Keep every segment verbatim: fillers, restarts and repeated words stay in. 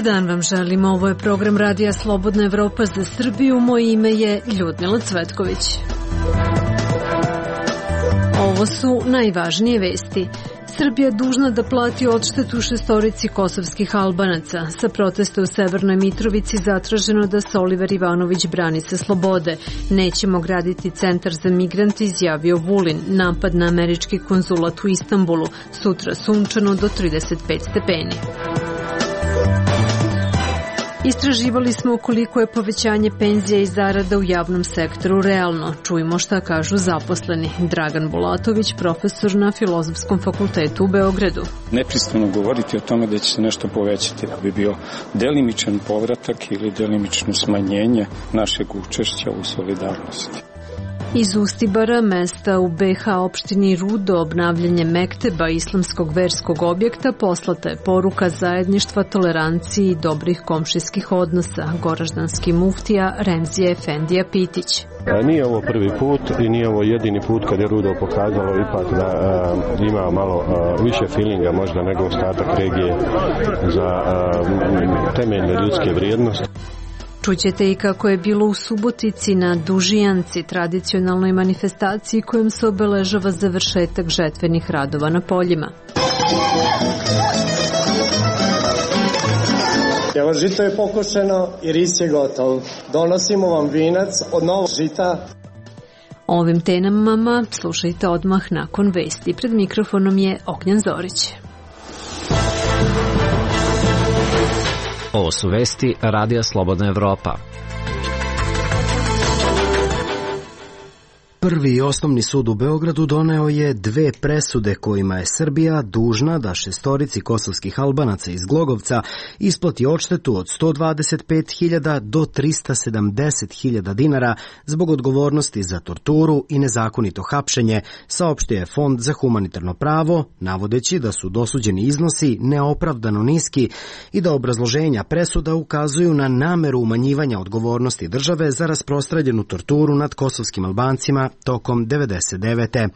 Dobar dan vam želim, ovo je program Radija Slobodna Evropa za Srbiju, moje ime je Ljudmila Cvetković. Ovo su najvažnije vesti. Srbija dužna da plati odštetu šestorici kosovskih Albanaca. Sa protesta u Severnoj Mitrovici zatraženo da se Oliver Ivanović brani sa slobode. Nećemo graditi centar za migrante, izjavio Vulin. Napad na američki konzulat u Istanbulu. Sutra sunčano do trideset pet stepeni. Istraživali smo koliko je povećanje penzija i zarada u javnom sektoru realno. Čujmo šta kažu zaposleni. Dragan Bulatović, profesor na Filozofskom fakultetu u Beogradu. Nepristano govoriti o tome da će se nešto povećati, da bi bio delimičan povratak ili delimično smanjenje našeg učešća u solidarnosti. Iz Ustibara, mesta u be ha opštini Rudo, obnavljanje mekteba islamskog verskog objekta, poslata je poruka zajedništva, toleranciji i dobrih komšijskih odnosa. Goraždanski muftija Remzije Efendija Pitić. Nije ovo prvi put i nije ovo jedini put kad je Rudo pokazalo ipak da uh, ima malo uh, više feelinga možda nego ostatak regije za uh, temeljne ljudske vrijednosti. Čućete i kako je bilo u Subotici na Dužijanci, tradicionalnoj manifestaciji kojom se obeležava završetak žetvenih radova na poljima. Evo, žito je pokošeno i ris je gotov. Donosimo vam vinac od novog žita. Ovim temama slušajte odmah nakon vesti. Pred mikrofonom je Ognjan Zorić. Ovo su vesti Radija Slobodna Evropa. Prvi osnovni sud u Beogradu doneo je dve presude kojima je Srbija dužna da šestorici kosovskih Albanaca iz Glogovca isplati odštetu od sto dvadeset pet hiljada do trista sedamdeset hiljada dinara zbog odgovornosti za torturu i nezakonito hapšenje, saopštio je Fond za humanitarno pravo, navodeći da su dosuđeni iznosi neopravdano niski i da obrazloženja presuda ukazuju na nameru umanjivanja odgovornosti države za rasprostranjenu torturu nad kosovskim Albancima tokom devedeset devete.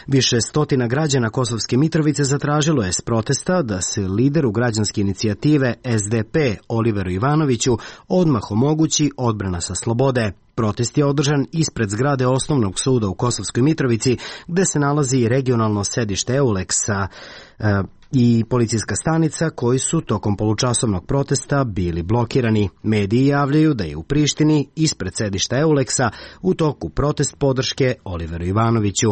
Više stotina građana Kosovske Mitrovice zatražilo je s protesta da se lideru građanske inicijative es de pe Oliveru Ivanoviću odmah omogući odbrana sa slobode. Protest je održan ispred zgrade Osnovnog suda u Kosovskoj Mitrovici, gde se nalazi regionalno sedište Euleksa e, i policijska stanica, koji su tokom polučasovnog protesta bili blokirani. Mediji javljaju da je u Prištini ispred sedišta Euleksa u toku protest podrške Oliveru Ivanoviću.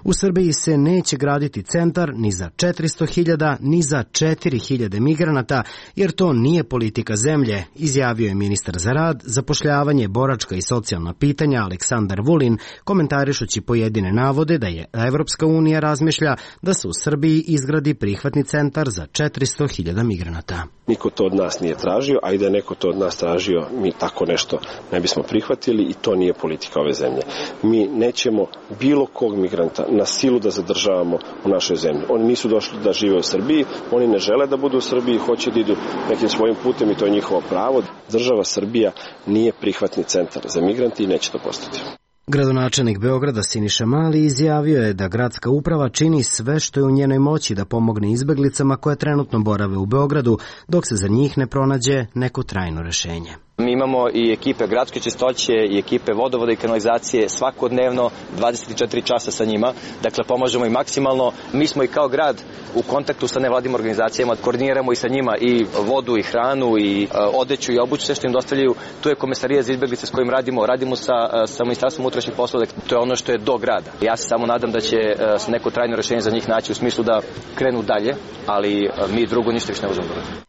U Srbiji se neće graditi centar ni za četiristo hiljada ni za četiri hiljade migranata, jer to nije politika zemlje, izjavio je ministar za rad, zapošljavanje, boračka i socijalna pitanja Aleksandar Vulin, komentarišući pojedine navode da je Evropska unija razmišlja da se u Srbiji izgradi prihvatni centar za četiristo hiljada migranata. Niko to od nas nije tražio, a i da je neko to od nas tražio, mi tako nešto ne bismo prihvatili i to nije politika ove zemlje. Mi nećemo bilo kog migranta na silu da zadržavamo u našoj zemlji. Oni nisu došli da žive u Srbiji, oni ne žele da budu u Srbiji, hoće da idu nekim svojim putem i to je njihovo pravo. Država Srbija nije prihvatni centar za migrante i neće to postati. Gradonačelnik Beograda Siniša Mali izjavio je da gradska uprava čini sve što je u njenoj moći da pomogne izbeglicama koje trenutno borave u Beogradu, dok se za njih ne pronađe neko trajno rešenje. Mi imamo i ekipe gradske čistoće i ekipe vodovoda i kanalizacije svakodnevno dvadeset četiri časa sa njima. Dakle, pomažemo i maksimalno. Mi smo i kao grad u kontaktu sa nevladinim organizacijama, koordiniramo i sa njima i vodu i hranu i odeću i obuću, sve što im dostavljaju. Tu je komesarija za izbeglice s kojim radimo. Radimo sa, sa Ministarstvom unutrašnjih poslova. To je ono što je do grada. Ja se samo nadam da će se neko trajno rešenje za njih naći u smislu da krenu dalje, ali mi drugo ništa više ne možemo raditi.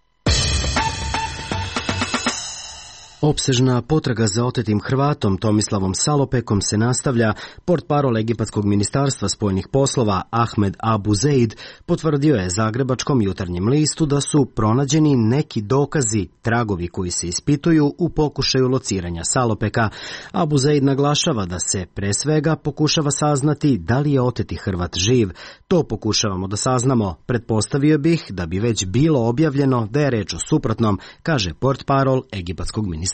Opsežna potraga za otetim Hrvatom Tomislavom Salopekom se nastavlja. Portparol Egipatskog ministarstva spoljnih poslova Ahmed Abu Zeid potvrdio je Zagrebačkom jutarnjem listu da su pronađeni neki dokazi, tragovi koji se ispituju u pokušaju lociranja Salopeka. Abu Zeid naglašava da se pre svega pokušava saznati da li je oteti Hrvat živ. To pokušavamo da saznamo. Pretpostavio bih da bi već bilo objavljeno da je reč o suprotnom, kaže portparol Egipatskog ministarstva.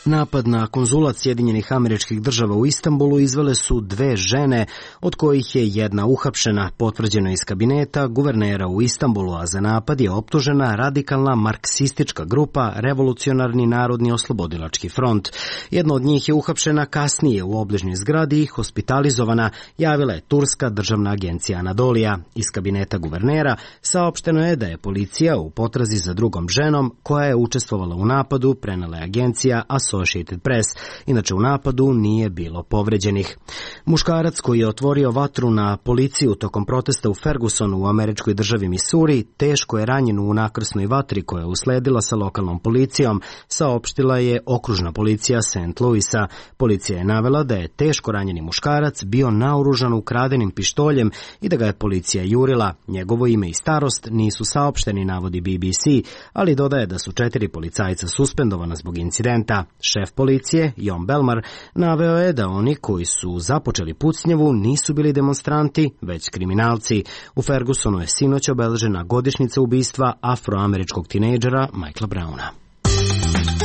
Napad na konzulat Sjedinjenih Američkih Država u Istanbulu izvele su dve žene, od kojih je jedna uhapšena, potvrđeno iz kabineta guvernera u Istanbulu, a za napad je optužena radikalna marksistička grupa Revolucionarni narodni oslobodilački front. Jedna od njih je uhapšena kasnije u obližnjoj zgradi i hospitalizovana, javila je turska državna agencija Anadolija. Iz kabineta guvernera saopšteno je da je policija u potrazi za drugom ženom koja je učestvovala u napadu, prenela je agencija Associated Press. Inače, u napadu nije bilo povređenih. Muškarac koji je otvorio vatru na policiju tokom protesta u Fergusonu u američkoj državi Missouri teško je ranjen u nakrsnoj vatri koja je usledila sa lokalnom policijom, saopštila je okružna policija Saint Louisa. Policija je navela da je teško ranjeni muškarac bio naoružan ukradenim pištoljem i da ga je policija jurila. Njegovo ime i starost nisu saopšteni, navodi B B C, ali dodaje da su četiri policajca suspendovana zbog incidenta. Šef policije, Jon Belmar, naveo je da oni koji su započeli pucnjavu nisu bili demonstranti, već kriminalci. U Fergusonu je sinoć obeležena godišnjica ubistva afroameričkog tinejdžera Michaela Browna.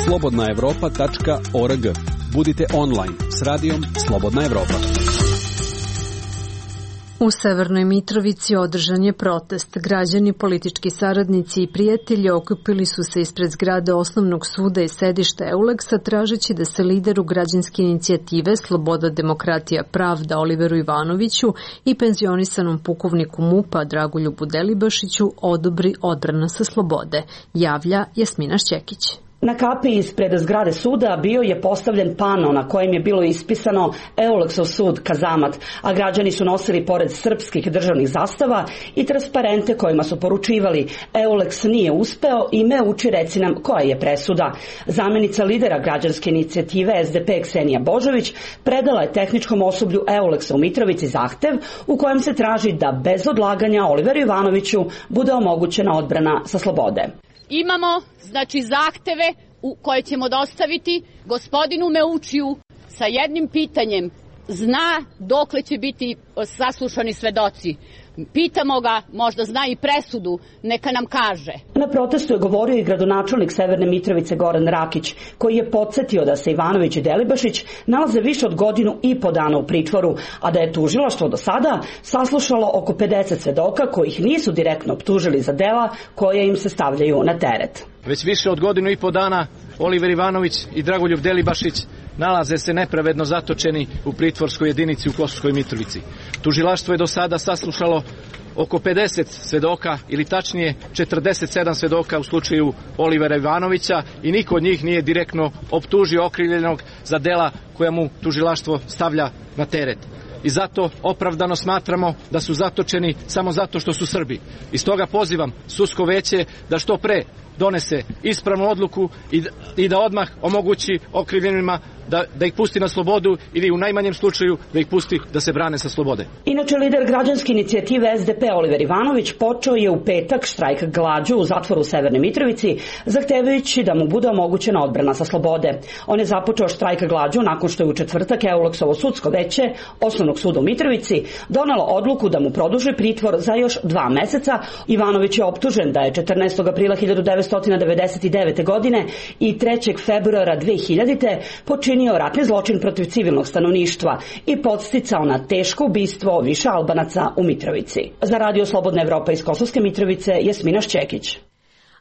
slobodna evropa tačka org. Budite online s radijom Slobodna Evropa. U Severnoj Mitrovici održan je protest. Građani, politički saradnici i prijatelji okupili su se ispred zgrade osnovnog suda i sedišta Euleksa tražeći da se lideru građanske inicijative Sloboda, demokratija, pravda Oliveru Ivanoviću i penzionisanom pukovniku MUP-a Dragoljubu Delibašiću odobri odbrana sa slobode, javlja Jasmina Šćekić. Na kapi ispred zgrade suda bio je postavljen pano na kojem je bilo ispisano Euleksov sud Kazamat, a građani su nosili pored srpskih državnih zastava i transparente kojima su poručivali Euleks nije uspeo i me uči reci nam koja je presuda. Zamenica lidera građanske inicijative S D P Ksenija Božović predala je tehničkom osoblju Euleksa u Mitrovici zahtev u kojem se traži da bez odlaganja Oliveru Ivanoviću bude omogućena odbrana sa slobode. Imamo, znači, zahteve u koje ćemo dostaviti gospodinu Meučiju sa jednim pitanjem. Zna dokle će biti saslušani svedoci. Pitamo ga, možda zna i presudu, neka nam kaže. Na protestu je govorio i gradonačelnik Severne Mitrovice Goran Rakić, koji je podsjetio da se Ivanović i Delibašić nalaze više od godinu i po dana u pritvoru, a da je tužilaštvo do sada saslušalo oko pedeset svedoka kojih nisu direktno optužili za dela koje im se stavljaju na teret. Već više od godinu i po dana Oliver Ivanović i Dragoljub Delibašić nalaze se nepravedno zatočeni u pritvorskoj jedinici u Kosovskoj Mitrovici. Tužilaštvo je do sada saslušalo oko pedeset svedoka, ili tačnije četrdeset sedam svedoka u slučaju Olivera Ivanovića, i niko od njih nije direktno optužio okrivljenog za dela koja mu tužilaštvo stavlja na teret. I zato opravdano smatramo da su zatočeni samo zato što su Srbi. I stoga pozivam sudsko veće da što pre donese ispravnu odluku i, i da odmah omogući okrivljenima da, da ih pusti na slobodu ili u najmanjem slučaju da ih pusti da se brane sa slobode. Inače, lider građanske inicijative S D P Oliver Ivanović počeo je u petak štrajk glađu u zatvoru u Severnoj Mitrovici, zahtevajući da mu bude omogućena odbrana sa slobode. On je započeo štrajk glađu nakon što je u četvrtak Euleksovo sudsko veće Osnovnog suda u Mitrovici donelo odluku da mu produži pritvor za još dva meseca. Ivanović je optužen da je četrnaestog aprila hiljadu devetsto devedeset devete. godine i trećeg februara dve hiljadite. počinio ratni zločin protiv civilnog stanovništva i podsticao na teško ubistvo više Albanaca u Mitrovici. Za Radio Slobodna Evropa iz Kosovske Mitrovice, Jasmina Šćekić.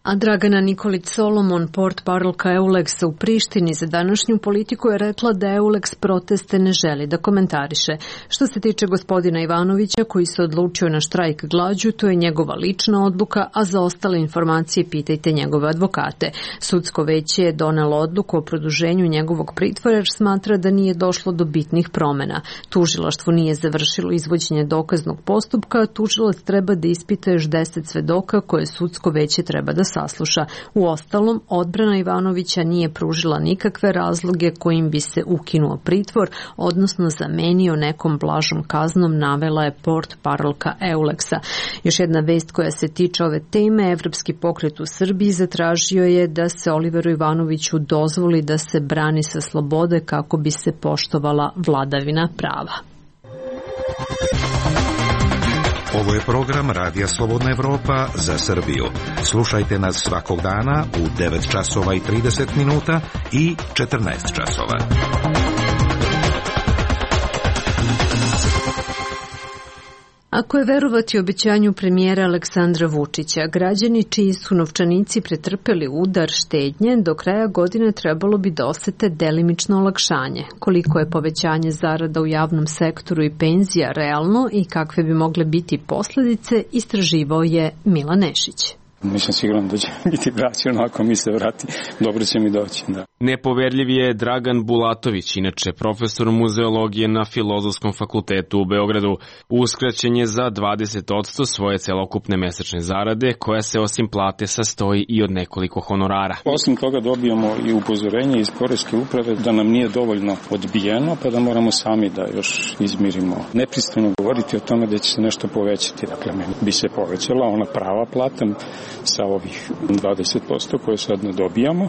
A Dragana Nikolić Solomon, portparolka Euleksa u Prištini, za današnju politiku je rekla da Euleks proteste ne želi da komentariše. Što se tiče gospodina Ivanovića, koji se odlučio na štrajk glađu, to je njegova lična odluka, a za ostale informacije pitajte njegove advokate. Sudsko veće je donelo odluku o produženju njegovog pritvora jer smatra da nije došlo do bitnih promena. Tužilaštvo nije završilo izvođenje dokaznog postupka, a tužilac treba da ispita još deset svedoka koje sudsko veće treba da sasluša. U ostalom, odbrana Ivanovića nije pružila nikakve razloge kojim bi se ukinuo pritvor, odnosno zamenio nekom blažom kaznom, navela je portparolka Euleksa. Još jedna vest koja se tiče ove teme, Evropski pokret u Srbiji zatražio je da se Oliveru Ivanoviću dozvoli da se brani sa slobode kako bi se poštovala vladavina prava. Ovo je program Radija Slobodna Evropa za Srbiju. Slušajte nas svakog dana u devet časova i trideset minuta i četrnaest časova. Ako je verovati obećanju premijera Aleksandra Vučića, građani čiji su novčanici pretrpeli udar štednje, do kraja godine trebalo bi da osete delimično olakšanje. Koliko je povećanje zarada u javnom sektoru i penzija realno i kakve bi mogle biti posledice, istraživao je Milan Nešić. Nisam siguran da će biti vraćeno, ako mi se vrati, dobro će mi doći. Da. Nepoverljiv je Dragan Bulatović, inače profesor muzeologije na Filozofskom fakultetu u Beogradu. Uskraćen je za dvadeset posto svoje celokupne mesečne zarade, koja se osim plate sastoji i od nekoliko honorara. Osim toga dobijamo i upozorenje iz poreske uprave da nam nije dovoljno odbijeno, pa da moramo sami da još izmirimo. Nepristojno govoriti o tome da će se nešto povećati. Dakle, meni bi se povećala ona prava plata sa ovih dvadeset posto koje sad ne dobijamo,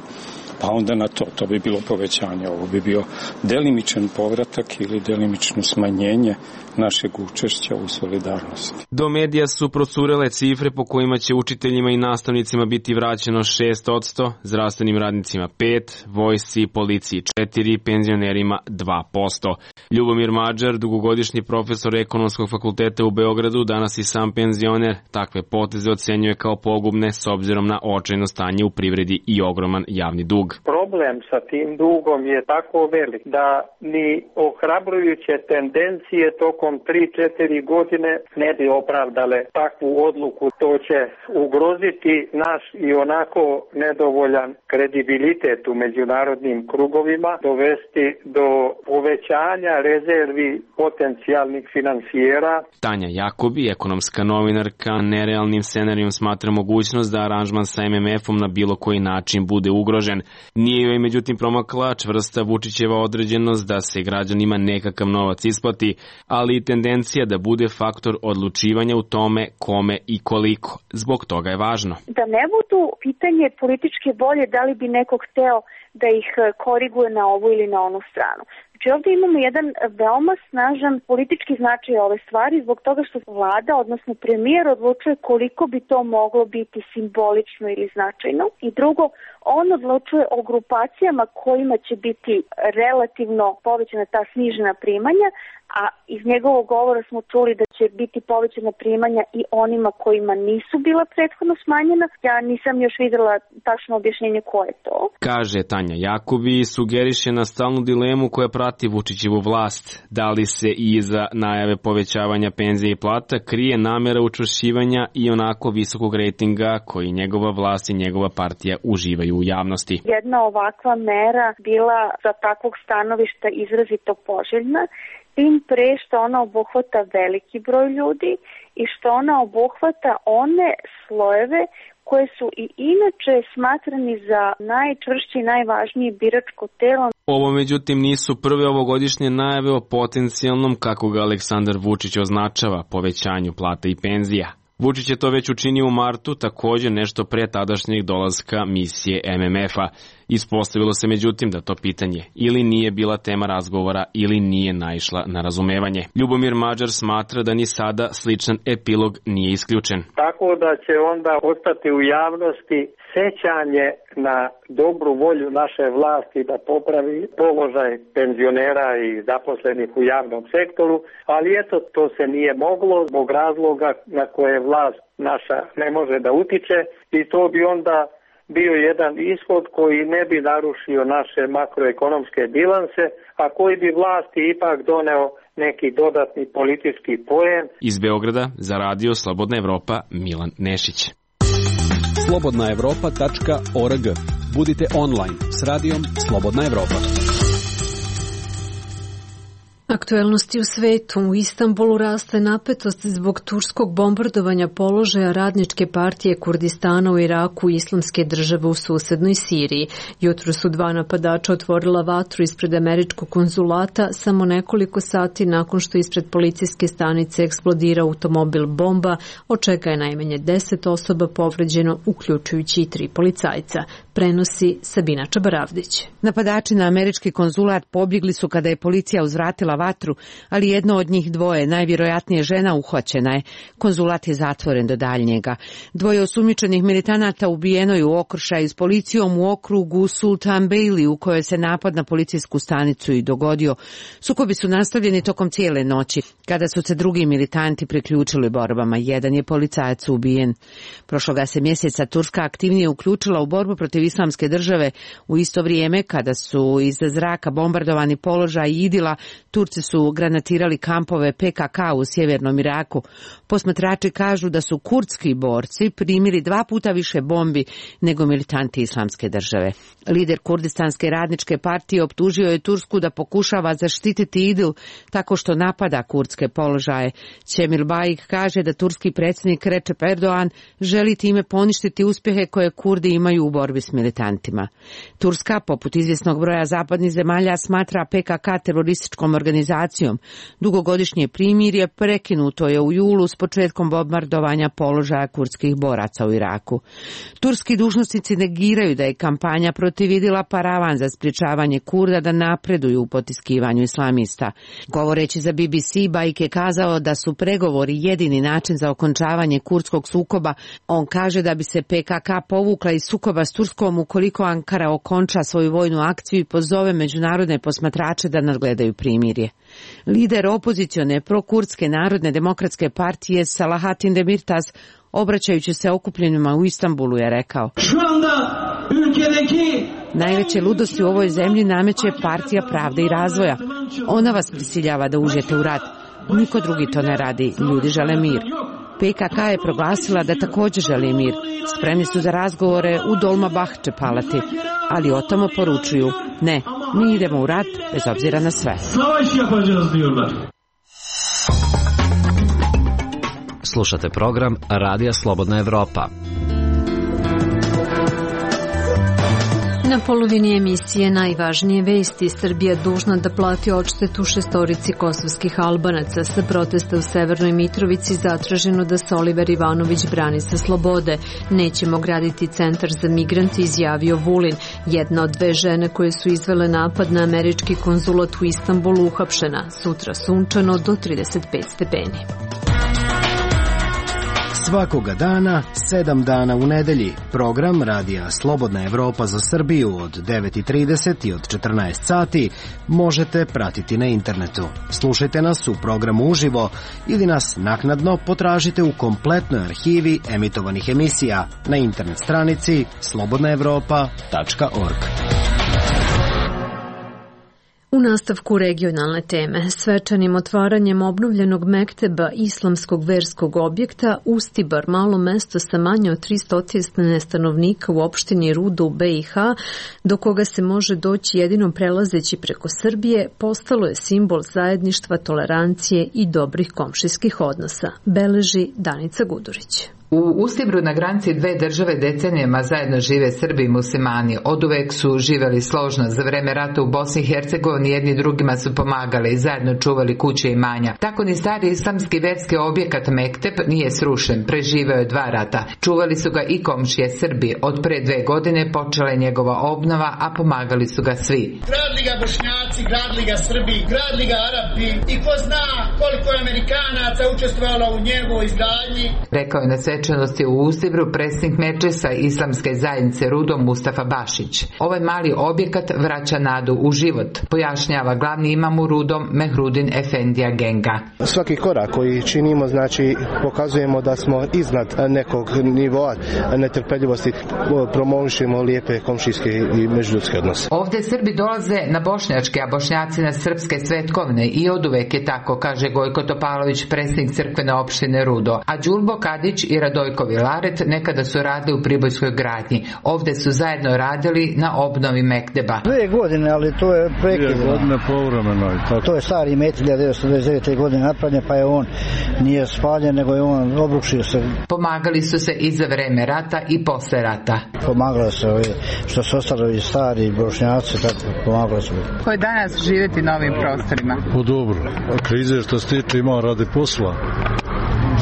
pa onda na to, to bi bilo povećanje, ovo bi bio delimičan povratak ili delimično smanjenje našeg učešća u solidarnosti. Do medija su procurele cifre po kojima će učiteljima i nastavnicima biti vraćeno šest posto, zdravstvenim radnicima pet, vojsci i policiji četiri, penzionerima dva posto. Ljubomir Mađar, dugogodišnji profesor Ekonomskog fakulteta u Beogradu, danas i sam penzioner, takve poteze ocenjuje kao pogubne s obzirom na očajno stanje u privredi i ogroman javni dug. Problem sa tim dugom je tako velik da ni ohrabrujuće tendencije tokom tri četiri godine ne bi opravdale takvu odluku. To će ugroziti naš i onako nedovoljan kredibilitet u međunarodnim krugovima, dovesti do povećanja rezervi potencijalnih finansijera. Tanja Jakobi, ekonomska novinarka, nerealnim scenarijom smatra mogućnost da aranžman sa em em efom na bilo koji način bude ugrožen. Nije joj međutim promakla čvrsta Vučićeva određenost da se građanima nekakav novac isplati, ali i tendencija da bude faktor odlučivanja u tome kome i koliko. Zbog toga je važno. Da ne budu pitanje političke volje da li bi neko hteo da ih koriguje na ovu ili na onu stranu. Znači ovdje imamo jedan veoma snažan politički značaj ove stvari zbog toga što vlada, odnosno premijer, odlučuje koliko bi to moglo biti simbolično ili značajno. I drugo, on odlučuje o grupacijama kojima će biti relativno povećana ta snižena primanja, a iz njegovog govora smo čuli da će biti povećana primanja i onima kojima nisu bila prethodno smanjena. Ja nisam još videla tačno objašnjenje ko je to. Kaže Tanja Jakobi i sugeriše na stalnu dilemu koja prati Vučićevu vlast. Da li se i iza najave povećavanja penzije i plata krije namera učvršćivanja i onako visokog rejtinga koji njegova vlast i njegova partija uživaju u javnosti. Jedna ovakva mera bila za takvog stanovišta izrazito poželjna, tim pre što ona obuhvata veliki broj ljudi i što ona obuhvata one slojeve koje su i inače smatrani za najčvršće i najvažnije biračko telo. Ovo međutim nisu prve ovogodišnje najave o potencijalnom, kako ga Aleksandar Vučić označava, povećanju plata i penzija. Vučić je to već učinio u martu, također nešto pre tadašnjeg dolaska misije em em efa. Ispostavilo se međutim da to pitanje ili nije bila tema razgovora ili nije naišla na razumevanje. Ljubomir Mađar smatra da ni sada sličan epilog nije isključen. Tako da će onda ostati u javnosti sećanje na dobru volju naše vlasti da popravi položaj penzionera i zaposlenih u javnom sektoru, ali eto, to se nije moglo zbog razloga na koje vlast naša ne može da utiče i to bi onda bio jedan ishod koji ne bi narušio naše makroekonomske bilanse, a koji bi vlasti ipak doneo neki dodatni politički poen. Iz Beograda za Radio Slobodna Evropa, Milan Nešić. slobodna evropa tačka org. Budite online s radijom Slobodna Evropa. Aktuelnosti u svetu. U Istanbulu raste napetost zbog turskog bombardovanja položaja radničke partije Kurdistana u Iraku i Islamske države u susednoj Siriji. Jutro su dva napadača otvorila vatru ispred američkog konzulata samo nekoliko sati nakon što ispred policijske stanice eksplodira automobil bomba, od čega je najmanje deset osoba povređeno, uključujući i tri policajca. prenosi Sabina Čabaravdić. Napadači na američki konzulat pobjegli su kada je policija uzvratila vatru, ali jedno od njih dvoje, najvjerojatnije žena, uhvaćena je. Konzulat je zatvoren do daljnjega. Dvoje osumnjičenih militanata ubijeno je u okršaju s policijom u okrugu Sultan Bailey, u kojoj se napad na policijsku stanicu i dogodio. Sukobi su nastavljeni tokom cijele noći, kada su se drugi militanti priključili borbama. Jedan je policajac ubijen. Prošloga se mjeseca Turska aktivnije uključila u borbu protiv islamske države. U isto vrijeme, kada su iz zraka bombardovani položaj Idila, Turci su granatirali kampove P K K u sjevernom Iraku. Posmatrači kažu da su kurdski borci primili dva puta više bombi nego militanti islamske države. Lider Kurdistanske radničke partije optužio je Tursku da pokušava zaštititi Idil tako što napada kurdske položaje. Cemil Baik kaže da turski predsjednik Recep Erdogan želi time poništiti uspjehe koje Kurdi imaju u borbi s militantima. Turska, poput izvjesnog broja zapadnih zemalja, smatra P K K terorističkom organizacijom. Dugogodišnje primirje prekinuto je u julu s početkom bombardovanja položaja kurdskih boraca u Iraku. Turski dužnosnici negiraju da je kampanja protiv Idila paravan za sprječavanje Kurda da napreduju u potiskivanju islamista. Govoreći za B B C, Baik je kazao da su pregovori jedini način za okončavanje kurdskog sukoba. On kaže da bi se P K K povukla iz sukoba s Turskom ukoliko Ankara okonča svoju vojnu akciju i pozove međunarodne posmatrače da nadgledaju primirje. Lider opozicione prokurdske narodne demokratske partije Salahatin Demirtas, obraćajući se okupljenima u Istanbulu, je rekao: najveće ludosti u ovoj zemlji nameće Partija pravde i razvoja. Ona vas prisiljava da uđete u rat. Niko drugi to ne radi. Ljudi žele mir. P K K je proglasila da također želi mir. Spremni su za razgovore u Dolmabahče palati, ali o tome poručuju: ne, mi idemo u rat bez obzira na sve. Slušate program Radija Slobodna Evropa. Na polovini emisije najvažnije vesti. Srbija dužna da plati odštetu šestorici kosovskih Albanaca. Sa protesta u Severnoj Mitrovici zatraženo da se Oliver Ivanović brani sa slobode. Nećemo graditi centar za migrante, izjavio Vulin. Jedna od dve žene koje su izvele napad na američki konzulat u Istanbulu uhapšena. Sutra sunčano do trideset pet stepeni. Svakoga dana, sedam dana u nedelji. Program Radija Slobodna Evropa za Srbiju od devet i trideset i od četrnaest sati možete pratiti na internetu. Slušajte nas u programu uživo ili nas naknadno potražite u kompletnoj arhivi emitovanih emisija na internet stranici slobodna evropa tačka org. U nastavku regionalne teme, svečanim otvaranjem obnovljenog mekteba islamskog verskog objekta Ustibar, malo mesto sa manje od tristo stanovnika u opštini Rudo u B i H, do koga se može doći jedino prelazeći preko Srbije, postalo je simbol zajedništva, tolerancije i dobrih komšijskih odnosa, beleži Danica Gudurić. U Ustibru na granici dve države decenijama zajedno žive Srbi i muslimani. Oduvek su živeli složno. Za vreme rata u Bosni i Hercegovini jedni drugima su pomagali i zajedno čuvali kuće i imanja. Tako ni stari islamski verski objekat Mekteb nije srušen. Preživeo je dva rata. Čuvali su ga i komšije Srbi. Od pre dve godine počela je njegova obnova, a pomagali su ga svi. Gradili ga Bošnjaci, gradili ga Srbi, gradili ga Arapi i ko zna koliko je Amerikanaca učestvovalo u njegovoj izgradnji. Rekao je na svečanosti u Ustibru predsjednik Medžlisa Islamske zajednice Rudo Mustafa Bašić. Ovaj mali objekat vraća nadu u život, pojašnjava glavni imam u Rudom Mehrudin Efendija Genga. Svaki korak koji činimo, znači pokazujemo da smo iznad nekog nivoa netrpeljivosti, promovišemo lijepe komšijske i međuljudske odnose. Ovdje Srbi dolaze na bošnjačke, a Bošnjaci na srpske svetkovine i oduvek je tako, kaže Gojko Topalović, predsjednik crkvene opštine Rudo. A Đulbo Kadić i Radojko Vilaret nekada su radili u Pribojskoj gradnji. Ovdje su zajedno radili na obnovi Mekteba. Dve godine, ali to je prekidno. Dve godine povremeno. To je stari met hiljadu devetsto devedeset devete. godine napravljen, pa je on nije spaljen, nego je on obrušio se. Pomagali su se i za vreme rata i posle rata. Pomagalo se ovi, što su ostali stari Bošnjaci, tako pomagalo se. Ko je danas živjeti na ovim prostorima? Po dobro. Krize što se tiče imao radi posla.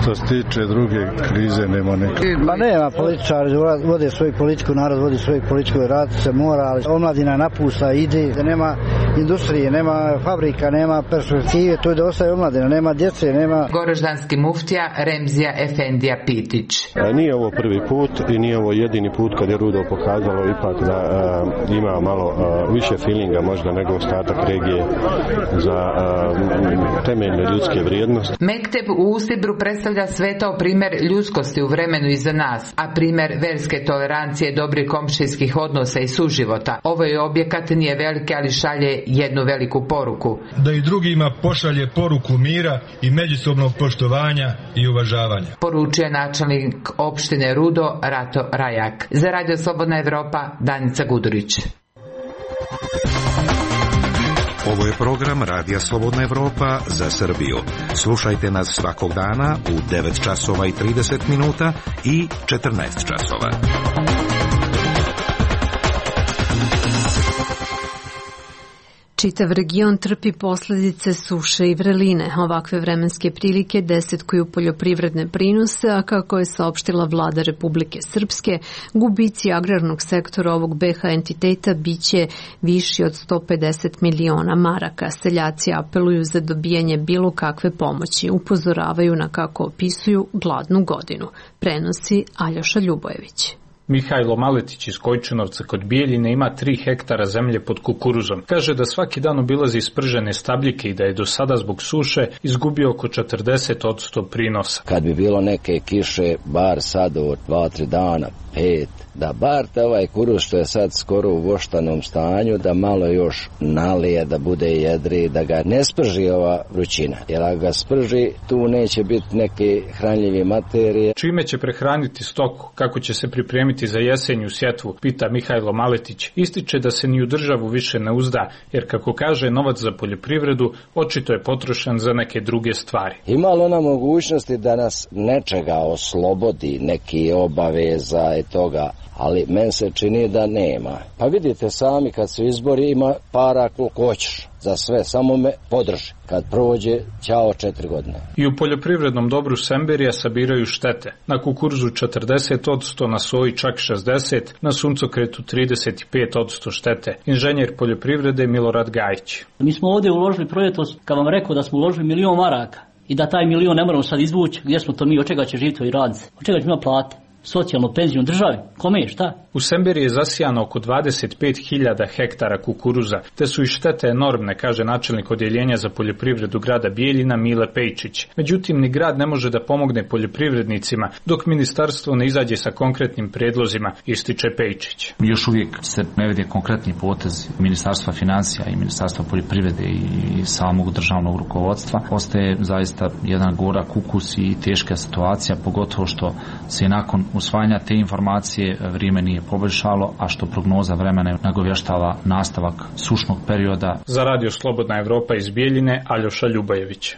Što se tiče druge krize, nema neke. Ma nema, političari vode svoju politiku, narod vodi svoju politiku, rad se mora, ali omladina napušta, ide, nema industrije, nema fabrika, nema perspektive, tu je da ostaje omladina, nema djece, nema... Goroždanski muftija Remzija Efendija Pitić. A nije ovo prvi put i nije ovo jedini put kad je Rudo pokazalo ipak da a, ima malo a, više feelinga možda nego ostatak regije za a, temeljne ljudske vrijednosti. Mekteb u Usibru predstavlja svetao primjer ljudskosti u vremenu iza nas, a primjer verske tolerancije, dobrih komšijskih odnosa i suživota. Ovo je objekat, nije velike, ali šalje jednu veliku poruku. Da i drugima pošalje poruku mira i međusobnog poštovanja i uvažavanja. Poručuje načelnik opštine Rudo Rato Rajak. Za Radio Slobodna Evropa, Danica Gudurić. Ovo je program Radija Slobodna Evropa za Srbiju. Slušajte nas svakog dana u devet časova i trideset minuta i četrnaest časova. Čitav region trpi posledice suše i vreline. Ovakve vremenske prilike desetkuju poljoprivredne prinose, a kako je saopštila vlada Republike Srpske, gubici agrarnog sektora ovog be ha entiteta biće viši od sto pedeset miliona maraka. Seljaci apeluju za dobijanje bilo kakve pomoći. Upozoravaju na, kako opisuju, gladnu godinu. Prenosi Aljoša Ljubojević. Mihajlo Maletić iz Kojčinovca kod Bijeljine ima tri hektara zemlje pod kukuruzom. Kaže da svaki dan obilazi spržene stabljike i da je do sada zbog suše izgubio oko četrdeset posto prinosa. Kad bi bilo neke kiše, bar sad od dva, tri dana, pet, da bar te ovaj kuruz što je sad skoro u voštanom stanju, da malo još nalije, da bude jedri, da ga ne sprži ova vrućina. Jer ako ga sprži, tu neće biti neke hranljive materije. Čime će prehraniti stoku, kako će se pripremiti za jesenju sjetvu, pita Mihajlo Maletić. Ističe da se ni u državu više ne uzda, jer kako kaže, novac za poljoprivredu očito je potrošen za neke druge stvari. Ima li ona mogućnosti da nas nečega oslobodi, neki obaveza i toga, ali men se čini da nema. Pa vidite sami, kad su izbori, ima para koliko hoćeš za sve, samo me podrži. Kad prođe, ćao četiri godine. I u poljoprivrednom dobru Semberija sabiraju štete. Na kukuruzu četrdeset posto, na soji čak šezdeset posto, na suncokretu trideset pet posto štete. Inženjer poljoprivrede Milorad Gajić. Mi smo ovdje uložili projektos, kad vam rekao da smo uložili milion maraka i da taj milion ne moramo sad izvući, gdje smo to mi, od čega će živjeti i raditi, od čega će imati plate, socijalnu penziju državi, kome je šta? U Semberi je zasijano oko dvadeset pet hiljada hektara kukuruza, te su i štete enormne, kaže načelnik odjeljenja za poljoprivredu grada Bijeljina Mile Pejčić. Međutim, ni grad ne može da pomogne poljoprivrednicima dok ministarstvo ne izađe sa konkretnim predlozima, ističe Pejčić. Još uvijek se ne vidi konkretni potez Ministarstva financija i Ministarstva poljoprivrede i samog državnog rukovodstva. Ostaje zaista jedan gorak ukus i teška situacija, pogotovo što se nakon usvajanja te informacije vrijeme nije poboljšalo, a što prognoza vremena nagovještava nastavak sušnog perioda. Za Radio Slobodna Evropa iz Bijeljine, Aljoša Ljubojević.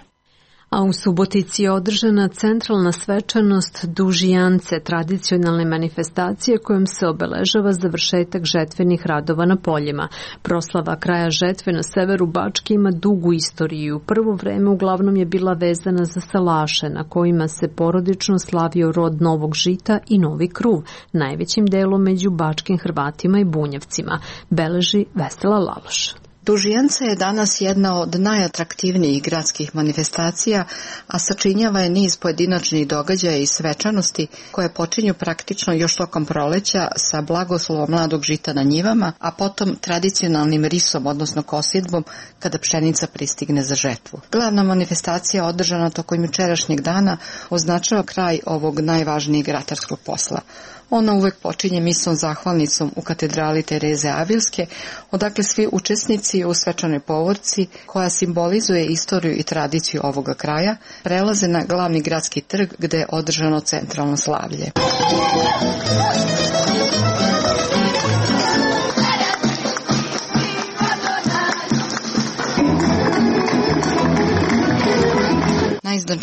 A u Subotici je održana centralna svečanost Dužijance, tradicionalne manifestacije kojom se obeležava završetak žetvenih radova na poljima. Proslava kraja žetve na severu Bačke ima dugu istoriju. U prvo vreme uglavnom je bila vezana za salaše, na kojima se porodično slavio rod novog žita i novi kruv, najvećim delom među bačkim Hrvatima i Bunjevcima, beleži Vesela Laloš. Dužijance je danas jedna od najatraktivnijih gradskih manifestacija, a sačinjava je niz pojedinačnih događaja i svečanosti koje počinju praktično još tokom proleća sa blagoslovom mladog žita na njivama, a potom tradicionalnim risom, odnosno kosidbom, kada pšenica pristigne za žetvu. Glavna manifestacija održana tokom jučerašnjeg dana označava kraj ovog najvažnijeg ratarskog posla. Ona uvek počinje misom zahvalnicom u katedrali Tereze Avilske, odakle svi učesnici u svečanoj povorci, koja simbolizuje istoriju i tradiciju ovoga kraja, prelaze na glavni gradski trg gde je održano centralno slavlje.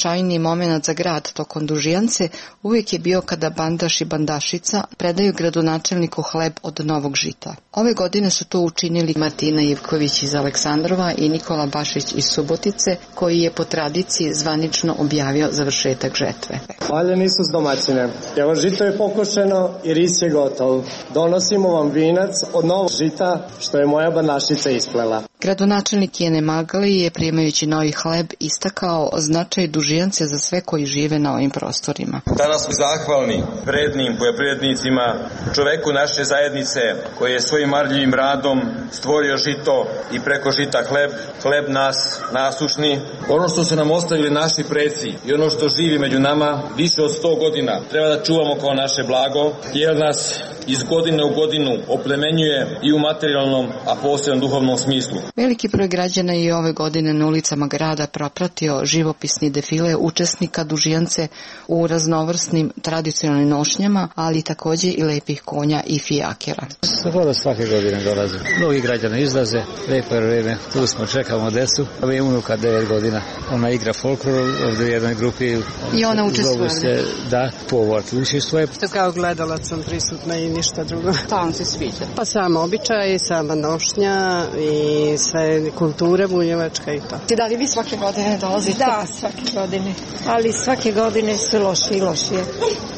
najznačajniji moment za grad tokom Dužijance uvijek je bio kada bandaš i bandašica predaju gradonačelniku hleb od novog žita. Ove godine su to učinili Martina Ivković iz Aleksandrova i Nikola Bašić iz Subotice, koji je po tradiciji zvanično objavio završetak žetve. Hvaljeni su s domaćine. Evo, žito je pokošeno i ris je gotov. Donosimo vam vinac od novog žita što je moja bandašica isplela. Gradonačelnik Jene Magali je, primajući novi hleb, istakao značaj Dužijance za sve koji žive na ovim prostorima. Danas smo zahvalni vrednim poljoprivrednicima, čoveku naše zajednice koji je svojim marljivim radom stvorio žito i preko žita hleb, hleb nas nasušni. Ono što su nam ostavili naši preci i ono što živi među nama više od sto godina treba da čuvamo kao naše blago, jer nas iz godine u godinu oplemenjuje i u materijalnom, a posebno duhovnom smislu. Veliki broj građana je ove godine na ulicama grada propratio živopisni defile učesnika Dužijance u raznovrsnim tradicionalnim nošnjama, ali takođe i lepih konja i fijakera. Skoro svake godine dolaze. Mnogi građani izlaze, lepo je vreme, tu smo, čekamo decu. Ovo je unuka devet godina. Ona igra folklor ovdje u jednoj grupi. I ona učestvuje? Se, da, povort učestvuje. To kao gledalac sam prisutna i ništa drugo. Pa vam se sviđa? Pa samo običaj, sama nošnja i sve kulture bunjevačka i to. Da li vi svake godine dolazite? Da, svake godine. Ali svake godine sve lošije i lošije.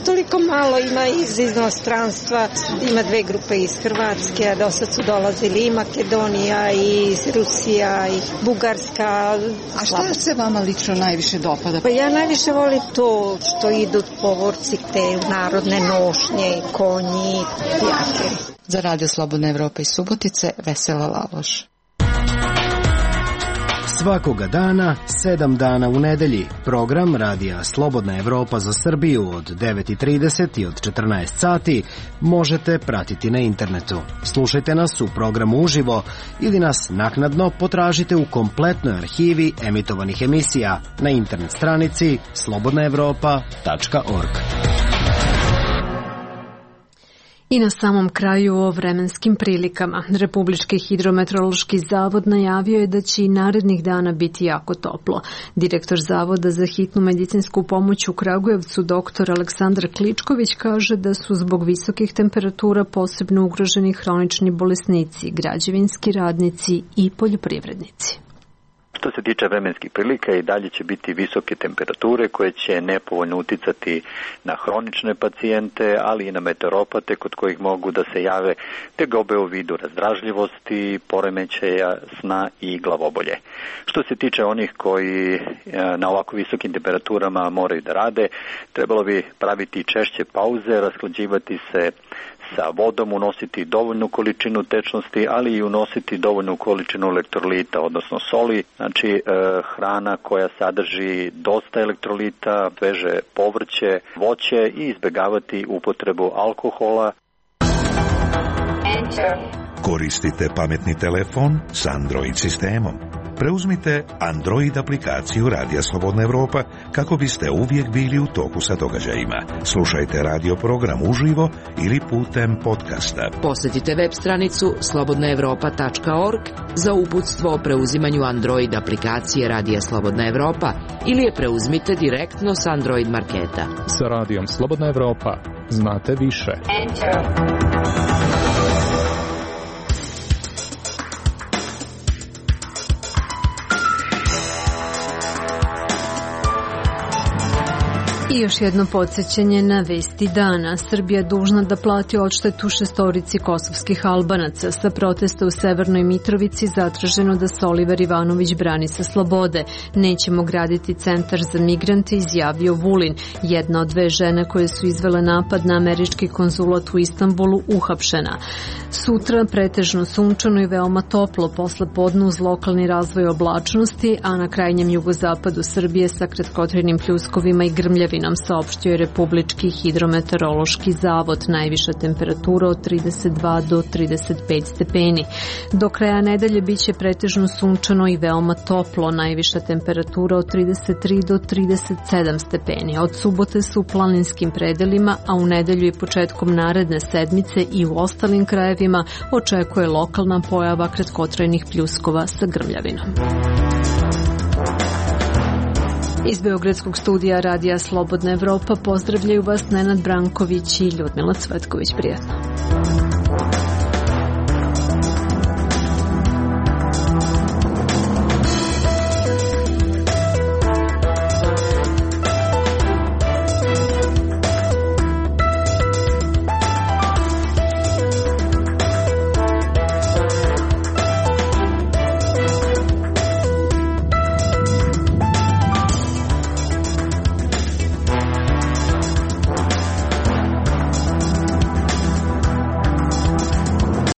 Toliko malo ima iz inostranstva, ima dve grupe iz Hrvatske, a do sad su dolazili i Makedonija, i Rusija, i Bugarska. A šta se vama lično najviše dopada? Pa ja najviše volim to što idu povorci, te narodne nošnje, konji, jakeri. Za Radio Slobodna Evropa iz Subotice, Vesela Laloš. Svakoga dana, sedam dana u nedelji, program Radija Slobodna Evropa za Srbiju od devet i trideset i od četrnaest sati možete pratiti na internetu. Slušajte nas u programu uživo ili nas naknadno potražite u kompletnoj arhivi emitovanih emisija na internet stranici slobodna evropa tačka org. I na samom kraju o vremenskim prilikama. Republički hidrometeorološki zavod najavio je da će i narednih dana biti jako toplo. Direktor Zavoda za hitnu medicinsku pomoć u Kragujevcu, doktor Aleksandar Kličković, kaže da su zbog visokih temperatura posebno ugroženi hronični bolesnici, građevinski radnici i poljoprivrednici. Što se tiče vremenskih prilika, i dalje će biti visoke temperature koje će nepovoljno uticati na hronične pacijente, ali i na meteoropate kod kojih mogu da se jave tegobe u vidu razdražljivosti, poremećaja sna i glavobolje. Što se tiče onih koji na ovako visokim temperaturama moraju da rade, trebalo bi praviti češće pauze, rashlađivati se sa vodom, unositi dovoljnu količinu tečnosti, ali i unositi dovoljnu količinu elektrolita, odnosno soli, znači e, hrana koja sadrži dosta elektrolita, sveže povrće, voće i izbjegavati upotrebu alkohola. Koristite pametni telefon s Android sistemom. Preuzmite Android aplikaciju Radija Slobodna Evropa kako biste uvijek bili u toku sa događajima. Slušajte radio program uživo ili putem podcasta. Posjetite web stranicu slobodna evropa tačka org za uputstvo o preuzimanju Android aplikacije Radija Slobodna Evropa ili je preuzmite direktno s Android marketa. Sa Radijom Slobodna Evropa znate više. Enter. I još jedno podsjećanje na vesti dana. Srbija dužna da plati odštetu šestorici kosovskih Albanaca. Sa protesta u Severnoj Mitrovici zatraženo da se Oliver Ivanović brani sa slobode. Nećemo graditi centar za migrante, izjavio Vulin. Jedna od dve žene koje su izvele napad na američki konzulat u Istanbulu uhapšena. Sutra pretežno sunčano i veoma toplo, posle podne uz lokalni razvoj oblačnosti, a na krajnjem jugozapadu Srbije sa kratkotrajnim pljuskovima i grmljavinom, saopštio je Republički hidrometeorološki zavod. Najviša temperatura od trideset dva do trideset pet stepeni. Do kraja nedelje biće pretežno sunčano i veoma toplo, najviša temperatura od trideset tri do trideset sedam stepeni. Od subote su u planinskim predelima, a u nedelju i početkom naredne sedmice i u ostalim krajevima očekuje lokalna pojava kratkotrajnih pljuskova sa grmljavinom. Iz Beogradskog studija Radija Slobodna Evropa pozdravljaju vas Nenad Branković i Ljudmila Cvetković. Prijetno.